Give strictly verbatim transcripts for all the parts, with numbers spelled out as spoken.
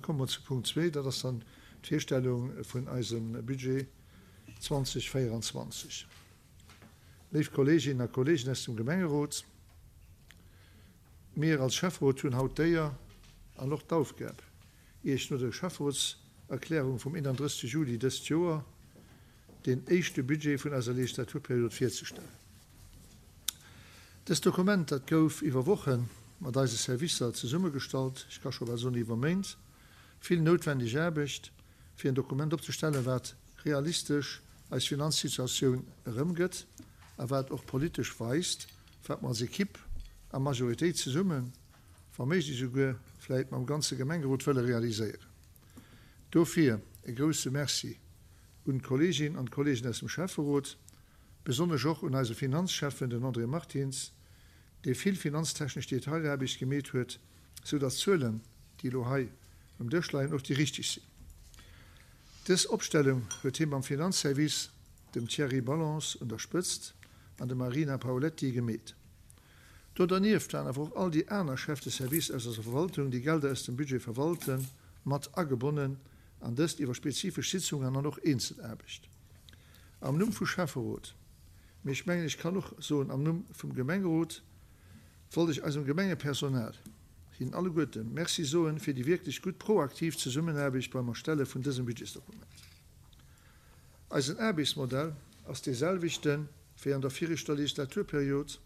Komme mer zu Punkt zwee, dat ass dann d'Virstellung vun eisem Budget zweitausendvéieranzwanzeg. Léif Kolleeginnen a Kolleegen aus dem Gemengerot, mir als Schäfferot hunn haut d'Éier an och d'Aufgab, Iech no der Schäfferotserklärung vum eenandrëssegste Juli dëst Joer deen éischte Budget vun eiser Legislaturperiod virzestellen. Dëst Dokument, dat gouf iwwer Woche mat eise Servicer zesummegestallt, ech ka scho bal soen iwwer Méint, vill noutwendeg Aarbecht, fir en Dokument opzestellen, wat realistesch eis Finanzsituatioun erëmgëtt a wat och politesch weist, wat mer als Equipe a Majoritéit zesummen, wa méiglech esouguer vläit mam ganze Gemengerot wëlle realiséieren. Dofir e grouse Merci un d'Kolleeginnen an d'Kolleegen aus dem Schäfferot, besonnesch och un eise Finanzschäffen, den André Martins, dee vill finanztechnesch Detailaarbecht gemeet huet, sou datt d'Zuelen, déi elo hei um Dësch leien, och déi richteg sinn. Dës Opstellung huet hie mam Finanzservice, dem Thierry Ballance un der Spëtzt an dem Marina Paoletti, gemeet. Do dernieft waren awer och all déi aner Chefs de service aus eiser Verwaltung, déi Gelder aus dem Budget verwalten, mat agebonnen, an dëst iwwer spezifesch Sitzungen an och Eenzelaarbecht. Am Numm vu Schäfferot, mee ech mengen, ech kann och soen am Numm vum Gemengerot, wollt ech eisem Gemengepersonal, hinnen alleguerte Merci soen fir déi wierklech gutt proaktiv Zesummenaarbecht beim Erstelle vun dësem Budgetsdokument. Eisen Aarbechtsmodell ass dee selwechte wéi an der viregter Legislaturperiod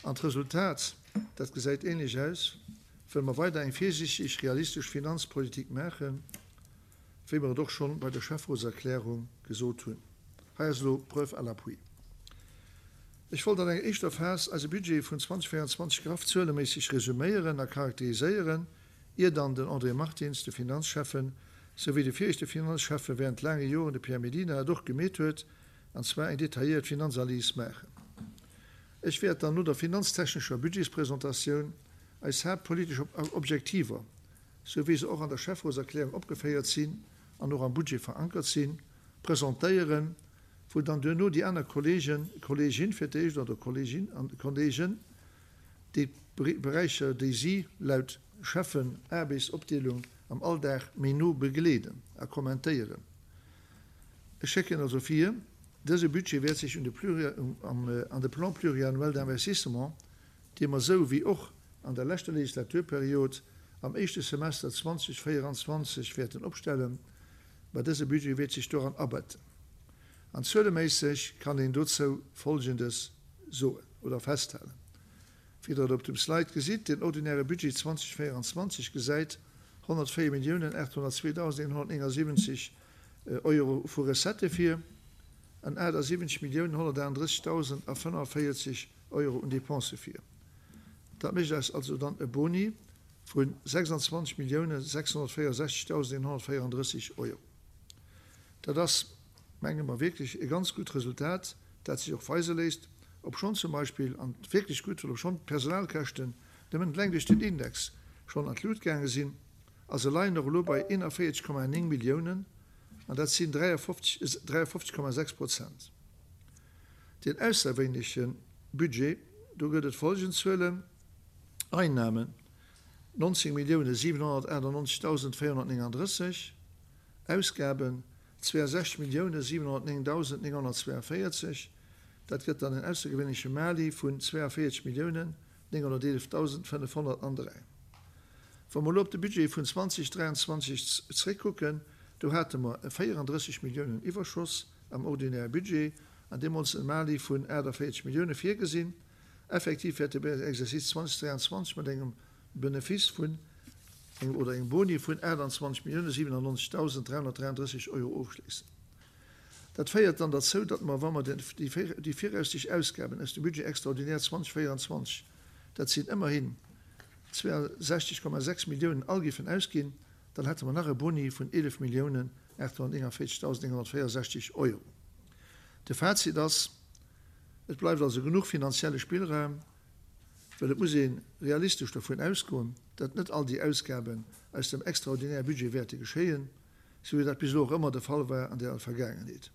an d'Resultat, dat gesäit änlech aus, wëll mer weider eng virsiichteg, realistesch Finanzpolitik maachen, wéi mer et och schonn bei der Schäfferotserklärung gesot hunn. Hei ass elo Preuve à l'appui. Ech wollt an enger éischter Phas eise Budget vun zweitausendvéieranzwanzeg graff zueleméisseg resuméieren a charakteriséieren, ier dann den André Martins, de Finanzschäffen, sou wéi de viregte Finanzschäffe während laange Joren, de Pierre Mellina, et och gemeet huet, an zwar eng detailléiert Finanzanalys maachen. Ech wäert dann no der finanztechnescher Budgetspresentatioun eis haaptpolitesch Objektiver, sou wéi se och an der Schäfferotserklärung opgeféiert sinn an och am Budget verankert sinn, presentéieren, wou dann duerno déi aner Kolleegen, Kolleegin fir d'éischt, oder Kolleegin an Kolleegen, déi d'Beräicher, déi si laut Schäffen-Aarbechtsopdeelung am Alldag méi no begleeden a kommentéieren. Ech schécken also vir, dëse Budget wäert sech un de an de Plan pluriannuel d'investissement, dee mer sou wéi och an der leschter Legislaturperiod am éischte Semester zweitausendvéieranzwanzeg wäerten opstellen, mä dëse Budget wäert sech doran abetten. An zueleméisseg kann een dozou Folgendes soen oder festhalen, wéi Der et op dem Slide gesitt, Den ordinäre Budget zweitausendvéieranzwanzeg gesäit honnertvéier Milliounen aathonnertzweedausendeenhonnertnéngasiwwenzeg Euro vu Recettë vir an aachtsiwwenzeg Milliounen honnertaachtenddrëssigdausend a fënnefenvéierzeg Euro un Depensë vir. Dat mécht eis also dann e Boni vu sechsandzwanzeg Milliounen sechshonnertvéierundsechzigdausendeenhonnertvéierunddrësseg Euro. Dat ass, menge mer, wierklech e ganz gutt Resultat, dat sech och weise léisst, obschonn zum Beispill, an wierklech gutt, well obschonn d'Personalkäschten nëmmen eleng duerch den Index schonn an d'Lut gaange sinn, a se leien och elo bei eenanvéierzeg Komma néng Milliounen, an dat sinn dräiafofzeg Komma sechs Prozent. Den ausserwéinleche Budget, do gëtt et folgend Zuelen, Einnahmen nonzéng Milliounen siwenhonnertachtannonzegdausend véierhonnertnéngandrësseg, Ausgaben zweeënsechzeg Milliounen siwenhonnertnéngdausend nénghonnertzweeënvéierzeg, dat gëtt dann en aussergewéinleche Mali vun zweeënvéierzeg Milliounen nénghonnerteelefdausend fënnefhonnertandräi. Wa mer elo op de Budget vun zweitausenddräianzwanzeg zréckkucken, do hate mer e véierandrësseg Milliounen Iwwerschoss am ordinäre Budget an deemools e Mali vun aachtavéierzeg Millioune virgesinn. Effektiv wäert de Exercice zweitausenddräianzwanzeg mat engem Benefice vun engem oder engem Boni vun aachtanzwanzeg Millioune siwenannonzegdausend dräihonnertdräianddrësseg Euro ofschléissen. Dat féiert dann derzou, datt mer, wa mer déi viraussichtlech Ausgaben aus dem Budget extraordinaire zweitausendvéieranzwanzeg, dat sinn ëmmerhin zweeënsechzeg Komma sechs Milliounen, all géifen ausginn, dann hätte mer nach e Boni vun eelef Milliounen aathonnerténgundvéierzegdausend nénghonnertvéierundsechzeg Euro. De Fazit ass, Et bleift also genuch finanzielle Spillraum, well et muss ee realistesch dovun ausgoen, datt net all déi Ausgaben aus dem extraordinäre Budget wäerte geschéien, sou wéi dat bis elo och ëmmer de Fall war an der Vergaangenheet.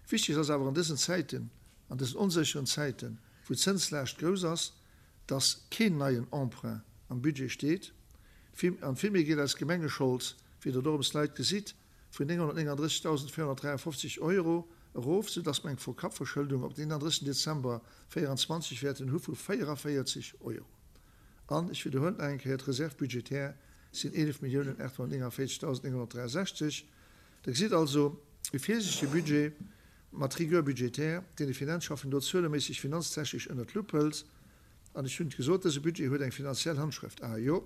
Wichteg ass awer an dësen Zäiten, an dësen onsécheren Zäiten, wou d'Zënslaascht grouss ass, datt keen neien Emprunt am Budget steet. An vill méi geet eis Gemengeschold, wéi Der do um Slide gesitt, vun nénghonnertnénganddrëssigdausendvéierhonnertdräiafofzeg Euro erof, soudass mer eng Pro-Kapp-Verschëldung op den eenandrëssigsten Dezember véierundzwanzeg wäerten hu vu véierevéierzeg Euro. An ech widderhuelen nach eng Kéier, d'Reserve budgétaire sinn eelef Milliounen aathonnertnéngavéierzegdausendnénghonnertdräiasechzeg. Der gesitt also e virsiichtege Budget mat Rigueur budgétaire, deen de Finanzschaffen do zueleméisseg finanztechnesch ënnert d'Lupp hëlt. An ech hunn et gesot, dëse Budget huet eng finanziell Handschrëft, ah jo,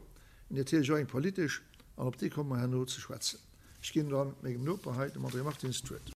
mee natierlech och eng politesch, an op déi komme mer herno ze schwätzen. Ech ginn dann mengem Noper hei, dem André Martins, d'Wuert.